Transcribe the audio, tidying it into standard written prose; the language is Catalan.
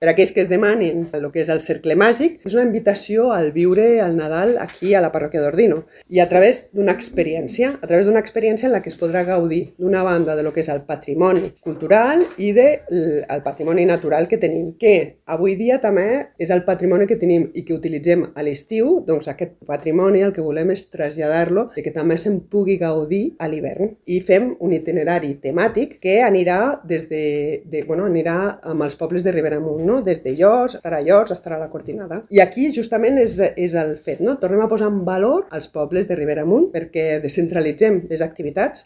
Per a aquells que es demanin el que és el Cercle Màgic, és una invitació al viure el Nadal aquí a la parròquia d'Ordino i a través d'una experiència en la que es podrà gaudir d'una banda de lo que és el patrimoni cultural i del patrimoni natural que tenim, que avui dia també és el patrimoni que tenim i que utilitzem a l'estiu, doncs aquest patrimoni el que volem és traslladar-lo i que també se'n pugui gaudir a l'hivern. I fem un itinerari temàtic que anirà anirà amb els pobles de Ribera Amunt, no? Des de Llors, estarà a la Cortinada. I aquí justament és el fet, no? Tornem a posar en valor els pobles de Ribera Amunt perquè descentralitzem les activitats